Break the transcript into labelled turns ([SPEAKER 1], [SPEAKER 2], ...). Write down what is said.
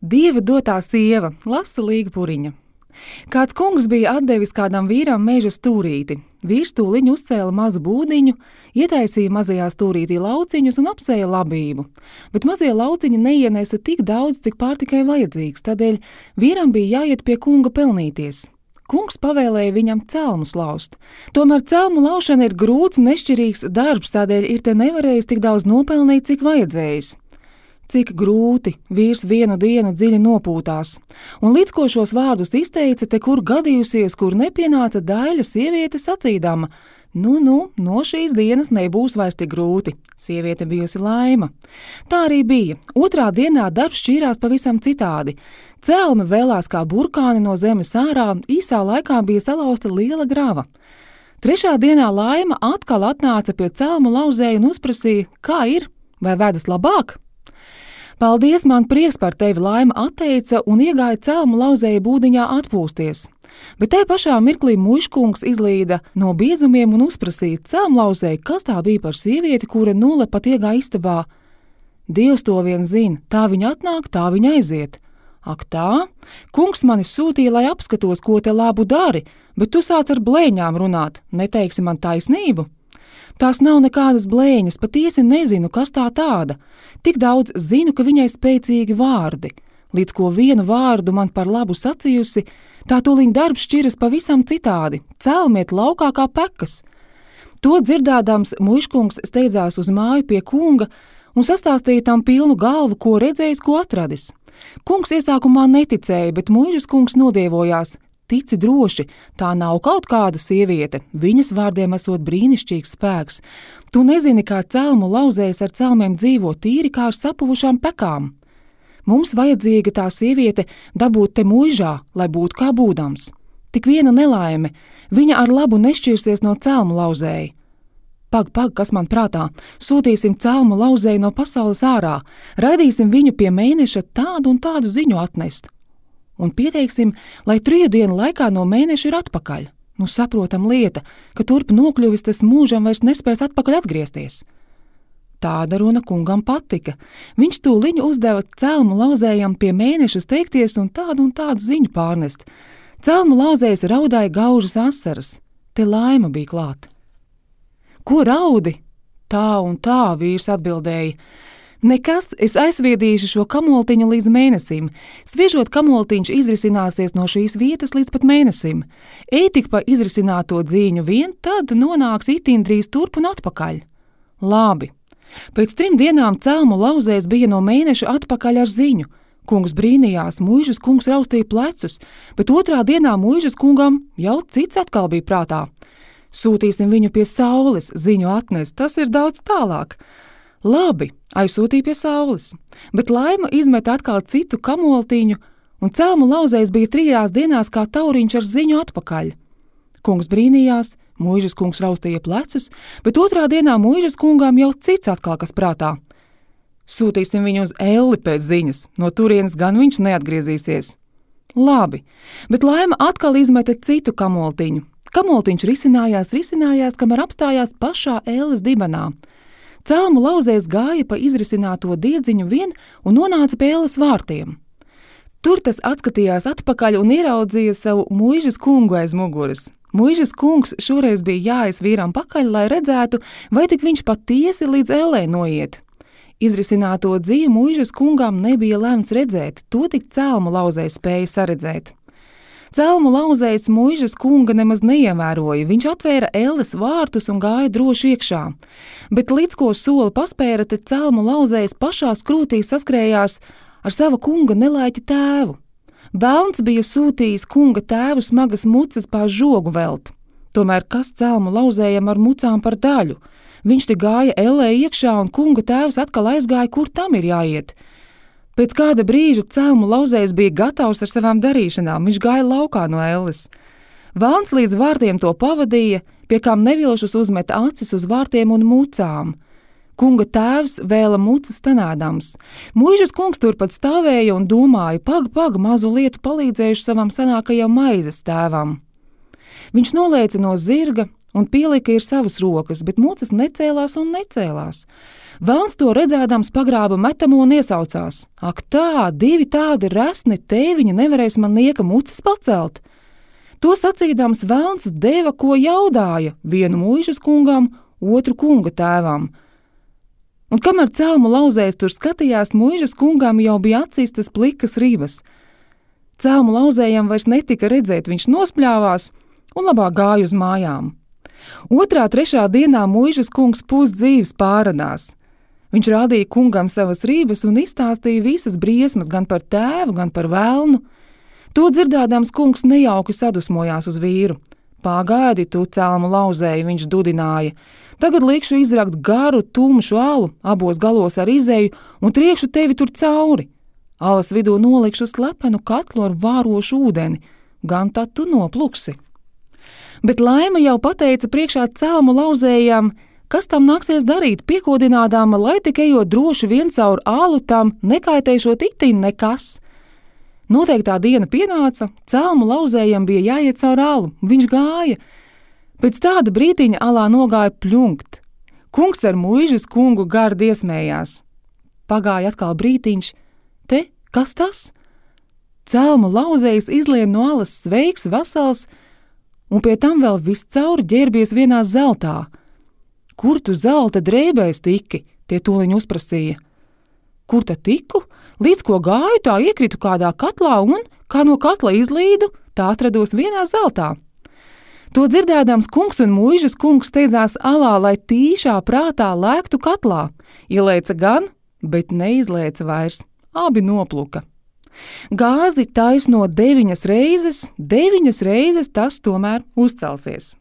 [SPEAKER 1] Dieva dotā sieva, lasa Līga Puriņa. Kāds kungs bija atdevis kādam vīram meža stūrīti. Vīrs tūliņ uzcēla mazu būdiņu, ietaisīja mazajā stūrītī lauciņus un apsēja labību. Bet mazie lauciņi neienesa tik daudz, cik pārtikai vajadzīgs, tādēļ vīram bija jāiet pie kunga pelnīties. Kungs pavēlēja viņam celmus laust. Tomēr celmu laušana ir grūts, nešķirīgs darbs, tādēļ ir te nevarējis tik daudz nopelnīt, cik vajadzējis. Cik grūti, vīrs vienu dienu dziļi nopūtās, un līdz ko šos vārdus izteica, te kur gadījusies, kur nepienāca daļa sieviete sacīdama: no šīs dienas nebūs vairs tik grūti. Sieviete bijusi Laima. Tā arī bija. Otrā dienā darbs šķīrās pavisam citādi. Celme vēlās kā burkāni no zemes ārā, īsā laikā bija salauzta liela grava. Trešā dienā Laima atkal atnāca pie celmu lauzēja un uzprasīja: kā ir, vai vedas labāk? Paldies, man prieks par tevi, Laima atteica un iegāja celmu lauzēja būdiņā atpūsties. Bet te pašā mirklī muižkungs izlīda no biezumiem un uzprasīja celmu lauzēju, kas tā bija par sievieti, kura nulle pat iegāja istabā. Dievs to vien zina, tā viņa atnāk, tā viņa aiziet. Ak tā, kungs mani sūtīja, lai apskatos, ko te labu dari, bet tu sāc ar blēņām runāt, neteiksi man taisnību? Tās nav nekādas blēņas, patiesi nezinu, kas tā tāda. Tik daudz zinu, ka viņai spēcīgi vārdi. Līdz ko vienu vārdu man par labu sacījusi, tā tūliņ darbs šķiras pavisam citādi, celmiet laukā kā pekas. To dzirdādams muižkungs steidzās uz māju pie kunga un sastāstīja tam pilnu galvu, ko redzējis, ko atradis. Kungs iesākumā neticēja, bet muižas kungs nodievojās: tici droši, tā nav kaut kāda sieviete, viņas vārdiem esot brīnišķīgs spēks. Tu nezini, kā celmu lauzējs ar celmiem dzīvo tīri kā ar sapuvušām pekām. Mums vajadzīga tā sieviete dabūt te muižā, lai būtu kā būdams. Tik viena nelaime, viņa ar labu nešķirsies no celmu lauzēja. Pag, kas man prātā, sūtīsim celmu lauzēju no pasaules ārā, raidīsim viņu pie mēneša tādu un tādu ziņu atnest. Un pieteiksim, lai 3 dienu laikā no mēneša ir atpakaļ. Saprotam lieta, ka turp nokļuvis, tas mūžam vairs nespēs atpakaļ atgriezties. Tāda runa kungam patika. Viņš tūliņ uzdeva celmu lauzējam pie mēneša steigties un tādu ziņu pārnest. Celmu lauzējs raudāja gaužas asaras. Te Laima bija klāt. Ko raudi? Tā un tā, vīrs atbildēja. Nekas, es aizviedīšu šo kamoltiņu līdz mēnesim. Sviežot kamoltiņš izrisināsies no šīs vietas līdz pat mēnesim. Ej tik pa izrisināto dzīņu vien, tad nonāks itin drīz turp un atpakaļ. Labi. Pēc 3 dienām celmu lauzējs bija no mēneša atpakaļ ar ziņu. Kungs brīnījās, muižas kungs raustīja plecus, bet otrā dienā muižas kungam jau cits atkal bija prātā. Sūtīsim viņu pie saules, ziņu atnest, tas ir daudz tālāk. Labi, aizsūtīja pie saules, bet Laima izmeta atkal citu kamoltiņu, un celmu lauzējs bija 3 dienās kā tauriņš ar ziņu atpakaļ. Kungs brīnījās, muižas kungs raustīja plecus, bet otrā dienā muižas kungām jau cits atkal kas prātā. Sūtīsim viņu uz Elli pēc ziņas, no turienes gan viņš neatgriezīsies. Labi, bet Laima atkal izmeta citu kamoltiņu. Kamoltiņš risinājās, kamēr apstājās pašā Elles dibenā. Celmu lauzējs gāja pa izrisināto diedziņu vien un nonāca pie Elles vārtiem. Tur tas atskatījās atpakaļ un ieraudzīja savu muižas kungu aiz muguras. Muižas kungs šoreiz bija jāies vīram pakaļ, lai redzētu, vai tik viņš patiesi līdz Ellei noiet. Izrisināto dzīvi muižas kungām nebija lemts redzēt, to tik celmu lauzējs spēja saredzēt. Celmu lauzējs muižas kunga nemaz neievēroja, viņš atvēra Elles vārtus un gāja droši iekšā. Bet līdz ko soli paspēra, te celmu lauzējs pašā skrūtī saskrējās ar sava kunga nelaiķa tēvu. Velns bija sūtījis kunga tēvu smagas mucas pār žogu velt. Tomēr kas celmu lauzējam ar mucām par daļu? Viņš te gāja Ellē iekšā un kunga tēvs atkal aizgāja, kur tam ir jāiet. Pēc kāda brīža celmu lauzējs bija gatavs ar savām darīšanām, viņš gāja laukā no Elles. Velns līdz vārtiem to pavadīja, pie kām nevilšus uzmeta acis uz vārtiem un mucām. Kunga tēvs vēla mucas stenādams. Muižas kungs turpat stāvēja un domāja, pag, mazu lietu palīdzējuši savam senākajam maizes tēvam. Viņš nolēca no zirga, un pielika ir savas rokas, bet mucas necēlās un necēlās. Velns to redzēdams pagrāba metamo un iesaucās. Ak tā, 2 tādi resni tēviņi nevarēs man nieka mucas pacelt. To sacīdams velns deva, ko jaudāja, vienu muižas kungam, otru kunga tēvam. Un kamēr celmu lauzējs tur skatījās, muižas kungam jau bija atcistas plikas ribas. Celmu lauzējam vairs netika redzēt, viņš nospļāvās un labāk gāja uz mājām. 2., 3. dienā muižas kungs pusdzīves pāradās. Viņš rādīja kungam savas rības un izstāstīja visas briesmas gan par tēvu, gan par velnu. To dzirdēdams kungs nejauki sadusmojās uz vīru. Pagaidi tu, celmu lauzēji, viņš dudināja. Tagad likšu izrakt garu, tumšu alu, abos galos ar izeju un triekšu tevi tur cauri. Alas vidū nolikšu slepenu katlu ar vārošu ūdeni, gan tad tu nopluksi. Bet Laima jau pateica priekšā celmu lauzējām, kas tam nāksies darīt, piekodinādām, lai tik ejot droši vien caur alu tam, nekaitēšot itin nekas. Noteiktā diena pienāca, celmu lauzējam bija jāiet caur alu, viņš gāja. Pēc tāda brītiņa alā nogāja pļunkt. Kungs ar muižas kungu gardi iesmējās. Pagāja atkal brītiņš, te, kas tas? Celmu lauzējs izlien no alas sveiks, vesels, un pie tam vēl viscaur ģērbies vienā zeltā. Kur tu zelta drēbēs tiki? Tie tūliņ uzprasīja. Kur tad tiku? Līdz ko gāju, tā iekritu kādā katlā un, kā no katla izlīdu, tā atrados vienā zeltā. To dzirdēdams kungs un muižas kungs steidzās alā, lai tīšā prātā lēktu katlā. Ielēca gan, bet neizlēca vairs. Abi nopluka. Gāzi taisno 9 reizes, 9 reizes tas tomēr uzcelsies.